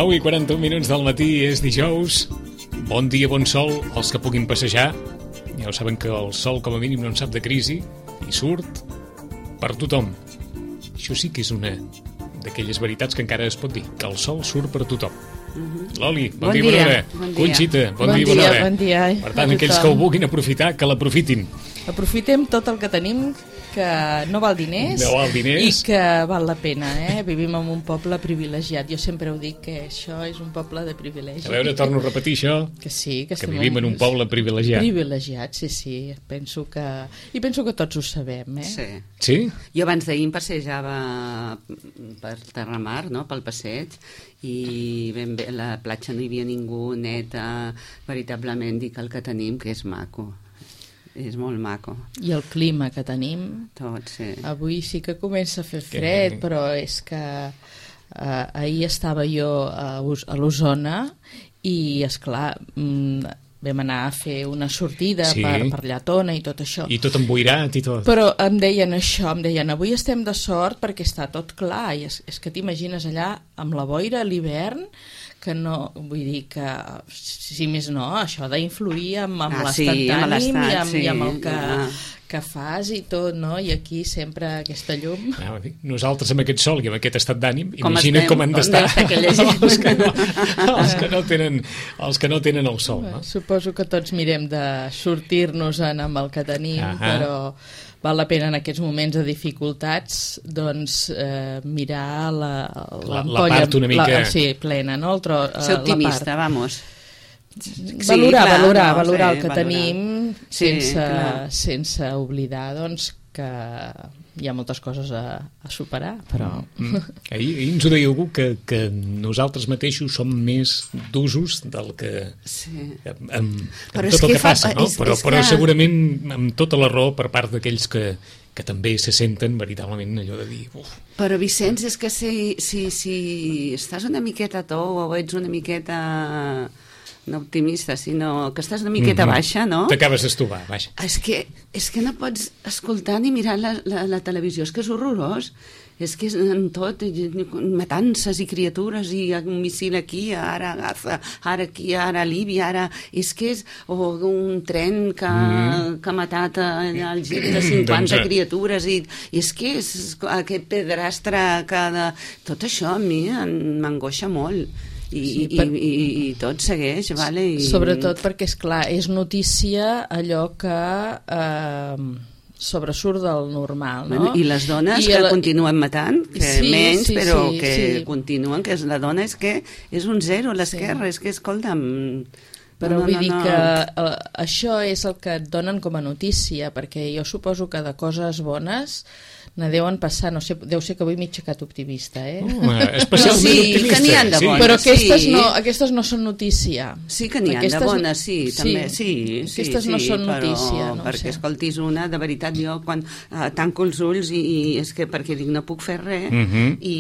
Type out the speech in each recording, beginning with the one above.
9:41 del matí, és dijous. Bon dia, bon sol, els que puguin passejar. Ja ho saben que el sol com a mínim no en sap de crisi i surt per tothom. Això sí que és una d'aquelles veritats que encara es pot dir, que el sol surt per tothom. Loli, bon dia, bona hora. Conxita, bon dia, bona hora. Bon dia. Per tant, aquells que ho vulguin aprofitar, que l'aprofitin. Aprofitem tot el que tenim, que no val diners, i que val la pena, Vivim en un poble privilegiat. Jo sempre ho dic, que això és un poble de privilegi. A veure, torno a repetir això. Que sí, que vivim en un poble privilegiat. Privilegiat, sí. Penso que tots ho sabem, Sí? Jo abans d'ahir em passejava per Terramar, no?, pel passeig, i ben bé, a la platja no hi havia ningú, neta, veritablement dic el que tenim, que és maco. És molt maco. I el clima que tenim... Tot, sí. Avui sí que comença a fer fred, però és que ahir estava jo a l'Osona i, esclar, vam anar a fer una sortida per Lletona i tot això. I tot emboirat i tot. Però em deien això, avui estem de sort perquè està tot clar, i és que t'imagines allà amb la boira a l'hivern, que no, vull dir que, si més no, això d'influir amb l'estat d'ànim i amb el que fas i tot, no? I aquí sempre aquesta llum... Nosaltres amb aquest sol i amb aquest estat d'ànim, imagina com han d'estar els que no tenen el sol, no? Suposo que tots mirem de sortir-nos-en amb el que tenim, però val la pena en aquests moments de dificultats mirar l'ampolla part una mica... plena, no? Ser optimista, vamos. Valorar el que tenim sense oblidar que hi ha moltes coses a superar, però... Ahir ens ho deia algú, que nosaltres mateixos som més d'usos del que... amb tot el que passa, no? Però segurament amb tota la raó per part d'aquells que també se senten veritablement allò de dir... Però, Vicenç, és que si estàs una miqueta o ets una miqueta... no optimista, sinó que estàs una miqueta baixa, no? T'acabes d'estovar, baixa. És que no pots escoltar ni mirar la televisió, és que és horrorós. És que és en tot, matances i criatures, i un missil aquí, ara a Gaza, ara aquí, ara a Líbia, ara... És que és un tren que ha matat allà al gir de 50 criatures, i és que és aquest pedrastre que... Tot això a mi m'angoixa molt. I tot segueix, vale? Sobretot perquè, esclar, és notícia allò que sobresurt del normal, no? I les dones que continuen matant, que menys, però que continuen, que la dona és que és un zero a l'esquerra, és que, escolta'm... Però vull dir que això és el que et donen com a notícia, perquè jo suposo que de coses bones ne deuen passar, no sé, deu ser que avui m'he aixecat optimista, especialment optimista. Que n'hi ha de bones. Però aquestes no són notícia. Sí que n'hi ha de bones, també, aquestes no són notícia. Perquè escoltis una, de veritat, jo quan tanco els ulls i és que perquè dic no puc fer res i...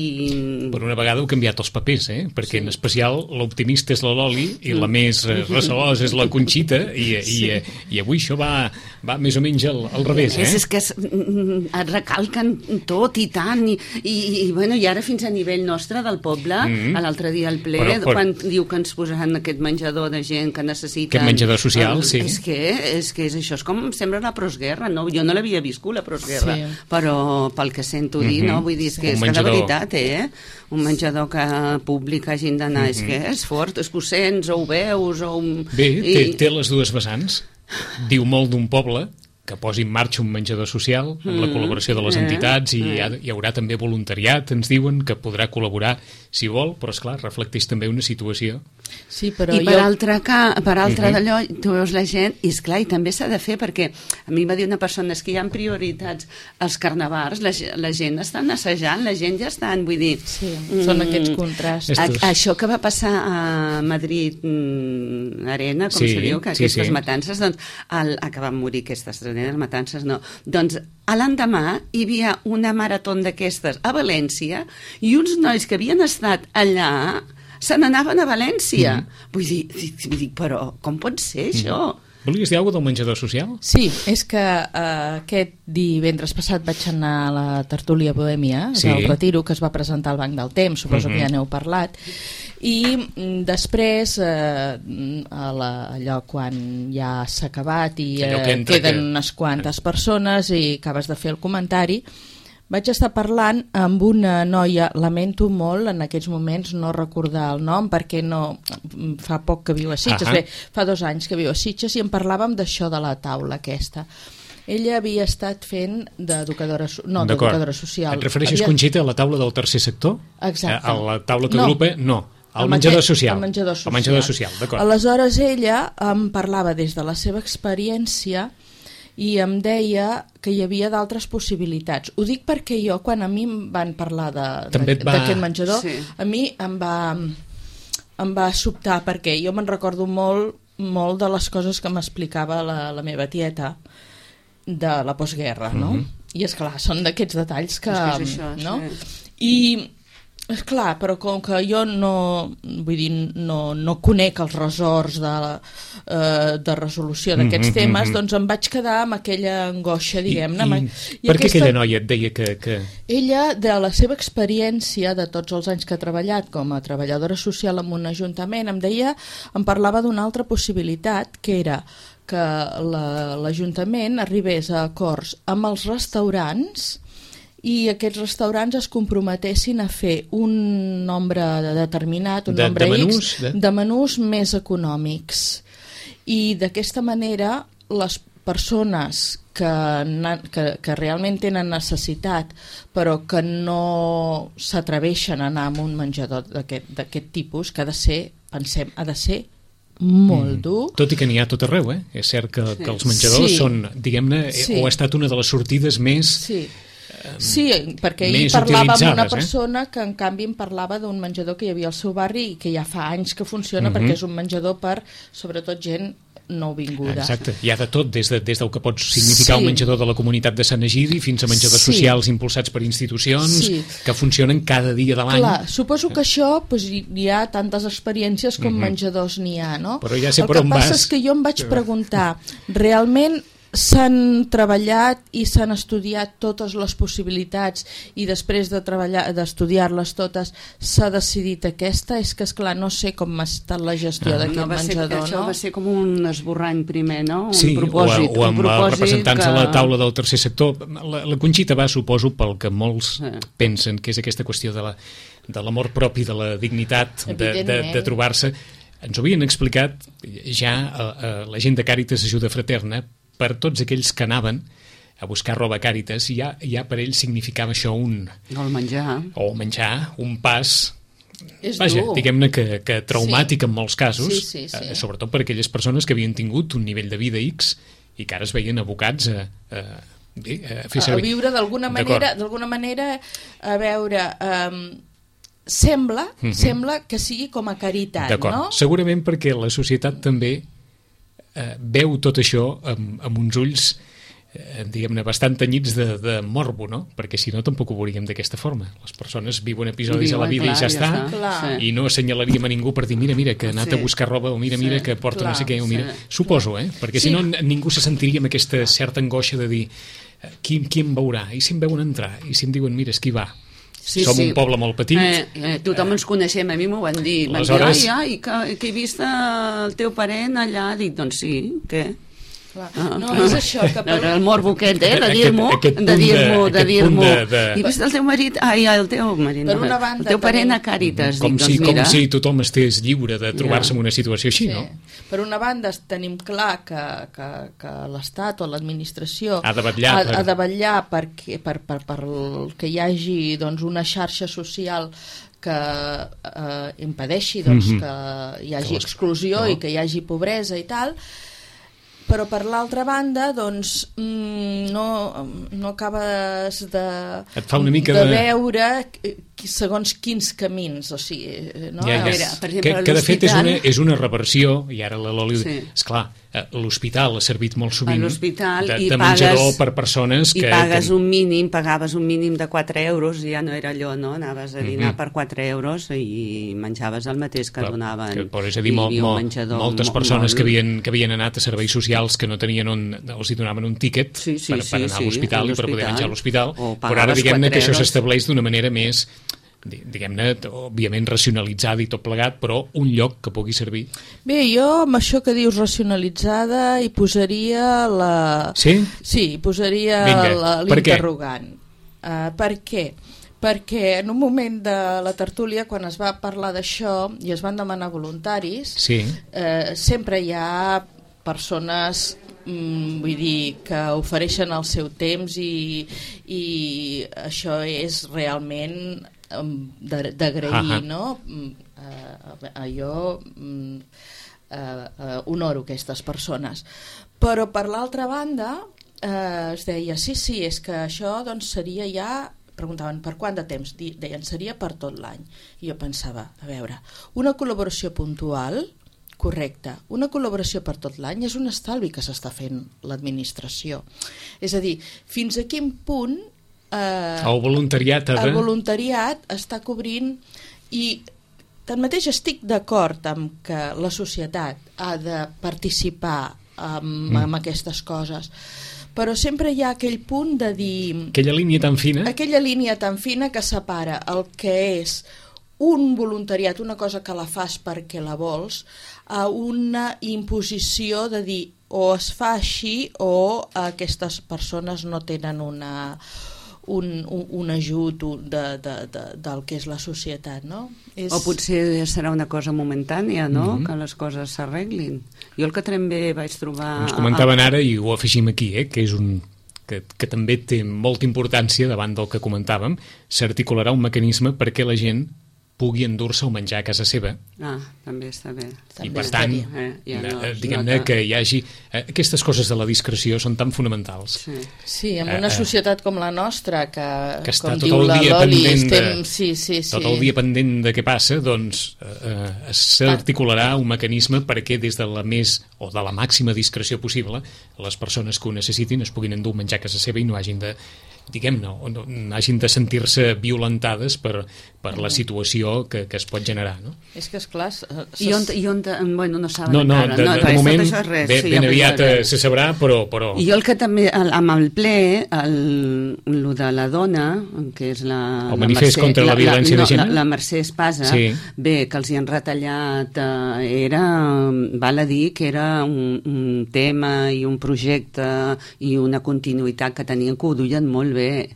Per una vegada heu canviat els papers, perquè en especial l'optimista és la Loli i la més recelosa és la Conxita i avui això va més o menys al revés, És que et recalquen tot i tant i ara fins a nivell nostre del poble, l'altre dia al ple, quan diu que ens posaran aquest menjador de gent que necessita... Aquest menjador social, sí. És que això és com sembla la postguerra, no? Jo no l'havia viscut, la postguerra, però pel que sento dir, no? Vull dir, és que de veritat, un menjador públic hagin d'anar, és que és fort, és que ho sents, o ho veus, o... Bé, té les dues vessants. Diu molt d'un poble que posi en marxa un menjador social amb la col·laboració de les entitats i hi haurà també voluntariat, ens diuen, que podrà col·laborar si vol, però esclar, reflecteix també una situació. Sí, però I per altra d'allò, tu veus la gent, i esclar, i també s'ha de fer, perquè a mi va dir una persona, és que hi ha prioritats als carnavals, la gent està assajant, la gent ja està, vull dir... Sí, són aquests contrastos. Això que va passar a Madrid Arena, com se diu, que aquestes matances, doncs, que van morir aquestes matances, no. Doncs l'endemà hi havia una marató d'aquestes a València i uns nois que havien estat allà se n'anaven a València. Vull dir, però com pot ser això? Volies dir alguna cosa del menjador social? Sí, és que aquest divendres passat vaig anar a la tertúlia Bohèmia del Retiro, que es va presentar al Banc del Temps, suposo que ja n'heu parlat, I després, allò quan ja s'ha acabat i queden unes quantes persones i acabes de fer el comentari, vaig estar parlant amb una noia, lamento molt en aquests moments no recordar el nom perquè fa poc que viu a Sitges, bé, fa 2 anys que viu a Sitges, i en parlàvem d'això de la taula aquesta. Ella havia estat fent d'educadora social. Et refereixes, Conxita, a la taula del tercer sector? Exacte. A la taula que agrupa? No. El menjador social. El menjador social, d'acord. Aleshores ella em parlava des de la seva experiència i em deia que hi havia d'altres possibilitats. Ho dic perquè jo, quan a mi em van parlar d'aquest menjador, a mi em va sobtar, perquè jo me'n recordo molt de les coses que m'explicava la meva tieta de la postguerra, no? I esclar, són d'aquests detalls que... no? I esclar, però com que jo no conec els ressorts de resolució d'aquests temes, doncs em vaig quedar amb aquella angoixa, diguem-ne. I per què aquella noia et deia que... Ella, de la seva experiència de tots els anys que ha treballat com a treballadora social en un ajuntament, em parlava d'una altra possibilitat, que era que l'Ajuntament arribés a acords amb els restaurants i aquests restaurants es comprometessin a fer un nombre determinat, un nombre X de menús més econòmics. I d'aquesta manera les persones que realment tenen necessitat però que no s'atreveixen a anar a un menjador d'aquest tipus, que ha de ser molt dur. Tot i que n'hi ha tot arreu, És cert que els menjadors són, diguem-ne, o ha estat una de les sortides més... Sí, perquè ell parlava amb una persona que en canvi em parlava d'un menjador que hi havia al seu barri i que ja fa anys que funciona, perquè és un menjador per, sobretot, gent nouvinguda. Exacte, hi ha de tot, des del que pot significar un menjador de la comunitat de Sant Egidi fins a menjadors socials impulsats per institucions que funcionen cada dia de l'any. Clar, suposo que això hi ha tantes experiències com menjadors n'hi ha, no? Però ja sé per on vas. El que passa és que jo em vaig preguntar, realment s'han treballat i s'han estudiat totes les possibilitats i després d'estudiar-les totes s'ha decidit aquesta? És que, esclar, no sé com ha estat la gestió d'aquest menjador, no? Això va ser com un esborrany primer, no? Un propòsit. O amb els representants de la taula del tercer sector. La Conxita va, suposo, pel que molts pensen que és aquesta qüestió de l'amor propi, de la dignitat, de trobar-se. Ens ho havien explicat ja la gent de Càritas Ajuda Fraterna, per tots aquells que anaven a buscar roba a Càritas, ja per ells significava això el menjar, un pas, diguem-ne que traumàtic en molts casos, sobretot per aquelles persones que havien tingut un nivell de vida X i que ara es veien abocats a fer servir. A viure d'alguna manera, a veure... Sembla que sigui com a caritat, no? Segurament perquè la societat també veu tot això amb uns ulls diguem-ne bastant tenyits de morbo, no? Perquè si no tampoc ho veuríem d'aquesta forma. Les persones viuen episodis a la vida i ja està, i no assenyalaríem a ningú per dir mira que ha anat a buscar roba, o mira que porta no sé què, o mira... Suposo, perquè si no ningú se sentiria amb aquesta certa angoixa de dir qui em veurà? I si em veuen entrar? I si em diuen mira, és qui va? Som un poble molt petit. Tothom ens coneixem, a mi m'ho van dir. Van dir, que he vist el teu parent allà. Dic, doncs sí, què? No, és això que... El morbo aquest, de dir-m'ho, de dir-m'ho. I vist el teu marit? El teu marit. El teu parent a Càritas. Com si tothom estés lliure de trobar-se en una situació així, no? Per una banda tenim clar que l'Estat o l'administració ha de vetllar perquè hi hagi una xarxa social que impedeixi que hi hagi exclusió i que hi hagi pobresa i tal, però per l'altra banda no acabes de veure segons quins camins, o sigui, no? Que de fet és una reversió, i ara la Loli, esclar, l'hospital ha servit molt sovint de menjador per persones que... I pagaves un mínim de 4 euros, i ja no era allò, no? Anaves a dinar per 4 euros i menjaves el mateix que donaven. És a dir, moltes persones que havien anat a serveis socials que no tenien els hi donaven un tíquet per anar a l'hospital i per poder menjar a l'hospital, però ara diguem-ne que això s'estableix d'una manera més diguem-ne, òbviament racionalitzada i tot plegat, però un lloc que pugui servir. Bé, jo amb això que dius racionalitzada hi posaria Sí? Sí, hi posaria l'interrogant. Per què? Perquè en un moment de la tertúlia, quan es va parlar d'això i es van demanar voluntaris, sempre hi ha persones, vull dir, que ofereixen el seu temps i això és realment d'agrair, no? Jo honoro aquestes persones. Però per l'altra banda es deia, sí, és que això doncs seria ja, preguntaven per quant de temps, deien seria per tot l'any, i jo pensava, a veure, una col·laboració puntual, correcte, una col·laboració per tot l'any és un estalvi que s'està fent l'administració, és a dir, fins a quin punt el voluntariat està cobrint, i tanmateix estic d'acord amb que la societat ha de participar amb aquestes coses, però sempre hi ha aquell punt de dir... Aquella línia tan fina que separa el que és un voluntariat, una cosa que la fas perquè la vols, a una imposició de dir o es fa així o aquestes persones no tenen un ajut del que és la societat, no? O potser serà una cosa momentània, no? Que les coses s'arreglin. Jo el que també vaig trobar... Ens comentaven ara, i ho afegim aquí, que és que també té molta importància davant del que comentàvem, s'articularà un mecanisme perquè la gent pugui endur-se o menjar a casa seva. També està bé. I per tant, diguem-ne que hi hagi... Aquestes coses de la discreció són tan fonamentals. Sí, en una societat com la nostra, que està com tot diu la Loli, tot el dia pendent de què passa, doncs s'articularà un mecanisme perquè des de la més o de la màxima discreció possible les persones que ho necessitin es puguin endur menjar a casa seva i no hagin de hagin de sentir-se violentades per la situació que es pot generar, no? És que, esclar... Bueno, no saben encara. De moment, ben aviat se sabrà, però... I jo el que també, amb el ple, el de la dona, que és la... El manifest contra la violència de gènere? La Mercè Espasa, bé, que els hi han retallat, val a dir que era un tema i un projecte i una continuïtat que tenien, que ho duien molt bé,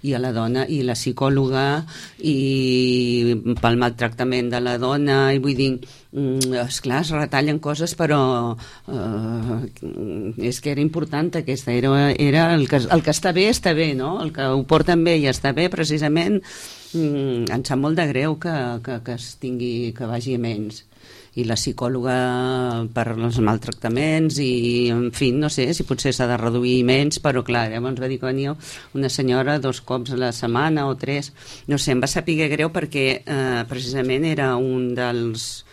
i a la dona i la psicòloga i pel maltractament de la dona, i vull dir, esclar, es retallen coses, però és que era important aquesta, era el que està bé, no? El que ho porten bé i està bé, precisament em sap molt de greu que es tingui, que vagi a menys. I la psicòloga per els maltractaments i, en fi, no sé si potser s'ha de reduir menys, però clar, llavors va dir que venia una senyora 2 cops a la setmana o 3, no sé, em va saber greu perquè precisament era un dels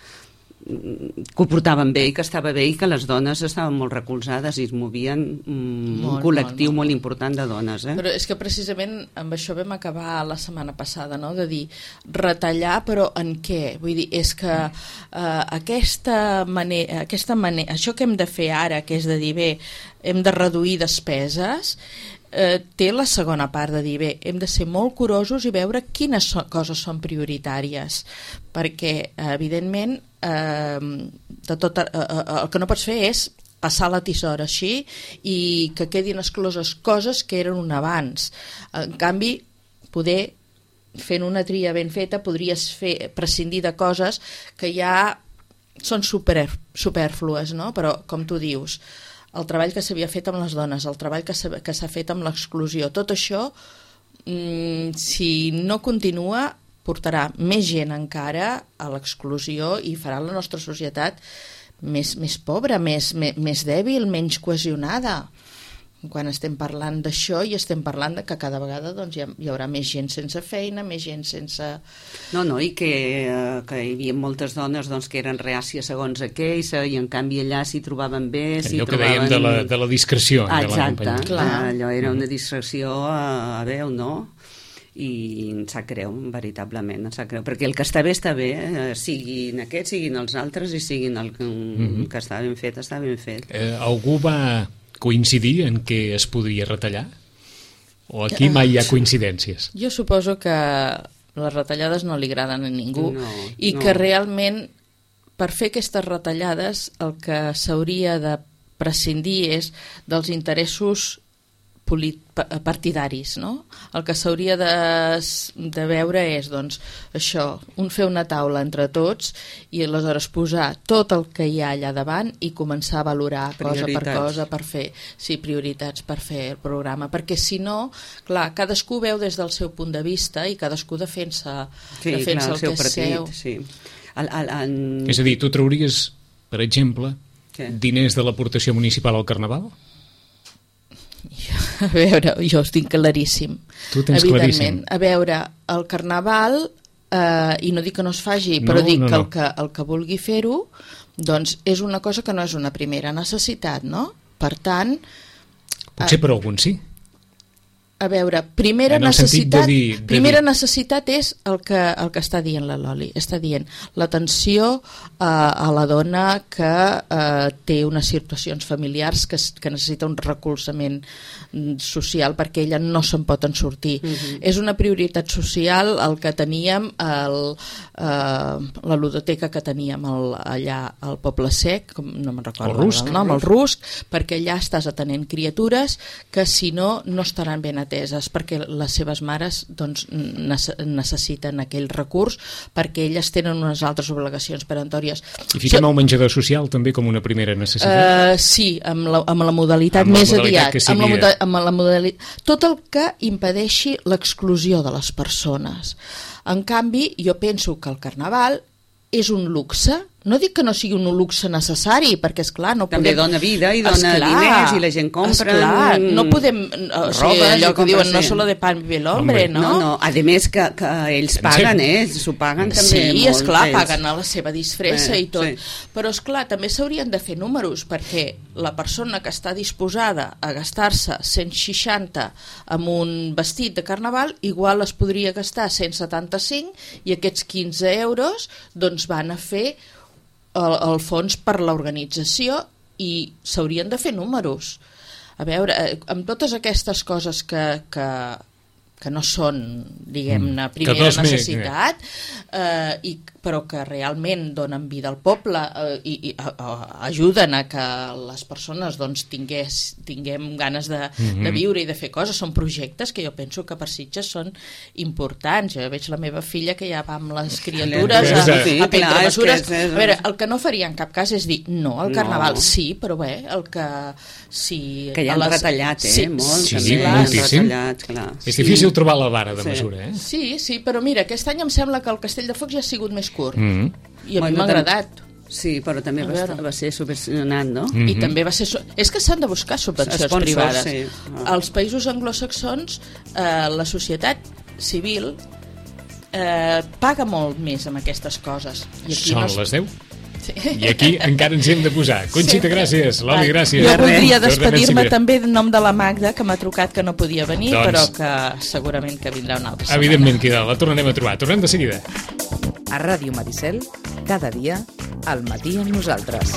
que ho portaven bé i que estava bé i que les dones estaven molt recolzades i es movien un col·lectiu molt important de dones. Però és que precisament amb això vam acabar la setmana passada, no? De dir, retallar, però en què? Vull dir, és que aquesta manera, això que hem de fer ara, que és de dir, bé, hem de reduir despeses, té la segona part de dir, bé, hem de ser molt curosos i veure quines coses són prioritàries, perquè evidentment el que no pots fer és passar la tisora així i que quedin excloses coses que eren un abans. En canvi, poder, fent una tria ben feta, podries prescindir de coses que ja són superflues, no? Però, com tu dius, el treball que s'havia fet amb les dones, el treball que s'ha fet amb l'exclusió, tot això, si no continua, portarà més gent encara a l'exclusió i farà la nostra societat més pobra, més dèbil, menys cohesionada. Quan estem parlant d'això i estem parlant de que cada vegada doncs, hi haurà més gent sense feina, més gent sense... No, i que hi havia moltes dones doncs, que eren reàcies segons aquells i en canvi allà s'hi trobaven bé... Allò que dèiem de la discreció. Exacte, allò era una discreció a veu, no? I em sap greu, veritablement, em sap greu, perquè el que està bé, siguin aquests, siguin els altres i siguin el que està ben fet, està ben fet. Algú va coincidir en què es podria retallar? O aquí mai hi ha coincidències? Jo suposo que les retallades no li agraden a ningú, i no. que realment per fer aquestes retallades el que s'hauria de prescindir és dels interessos partidaris, no? El que s'hauria de veure és, doncs, això, fer una taula entre tots i aleshores posar tot el que hi ha allà davant i començar a valorar cosa per cosa per fer, prioritats per fer el programa, perquè si no, clar, cadascú veu des del seu punt de vista i cadascú defensa el seu partit, sí. És a dir, tu trauries, per exemple, diners de l'aportació municipal al Carnaval? A veure, jo ho tinc claríssim. Tu tens claríssim. A veure, el Carnaval, i no dic que no es faci, però dic que el que vulgui fer-ho, doncs és una cosa que no és una primera necessitat, no? Per tant... Potser per algun sí. A veure, primera necessitat és el que està dient la Loli. Està dient l'atenció a la dona que té unes situacions familiars que necessita un recolzament social perquè ella no se'n pot en sortir. És una prioritat social el que teníem la ludoteca que teníem allà al Poble Sec, no me'n recordo el nom, el Rusc, perquè allà estàs atenent criatures que si no estaran ben ateses, perquè les seves mares doncs, necessiten aquell recurs perquè elles tenen unes altres obligacions peremptòries. I fiquem el menjador social també com una primera necessitat? Sí, amb la modalitat més aviat. Amb la modalitat, tot el que impedeixi l'exclusió de les persones. En canvi, jo penso que el Carnaval és un luxe. No dic que no sigui un luxe necessari, perquè, esclar, no podem... També dona vida i dona diners i la gent compra... Esclar, no podem... O sigui, allò que diuen, no solo de pan vive el hombre, no? No, a més que ells paguen, s'ho paguen també molt. Sí, esclar, paguen a la seva disfressa i tot. Però, esclar, també s'haurien de fer números, perquè la persona que està disposada a gastar-se 160 amb un vestit de Carnaval, igual es podria gastar 175 i aquests 15 euros doncs van a fer el fons per l'organització i s'haurien de fer números. A veure, amb totes aquestes coses que no són, diguem-ne, primera necessitat, però que realment donen vida al poble i ajuden a que les persones doncs, tinguem ganes de viure i de fer coses. Són projectes que jo penso que per Sitges són importants. Jo veig la meva filla que ja va amb les criatures a prendre mesures. A veure, el que no faria en cap cas és dir no al Carnaval, sí, però bé, el que... Que ja han retallat, molt. Sí, moltíssim. És difícil trobar la vara de mesura, Sí, però mira, aquest any em sembla que el Castell de Focs ja ha sigut més curt. I a mi m'ha agradat. Sí, però també va ser subvencionat, no? I també va ser... És que s'han de buscar subvencions privades. Als països anglosaxons, la societat civil paga molt més amb aquestes coses. Són les 10? I aquí encara ens hem de posar. Conxita, gràcies. Loli, gràcies. Jo voldria despedir-me també en nom de la Magda, que m'ha trucat que no podia venir, però que segurament que vindrà una altra setmana. Evidentment que la tornarem a trobar. Tornem de seguida. A Ràdio Maricel, cada dia, al matí amb nosaltres.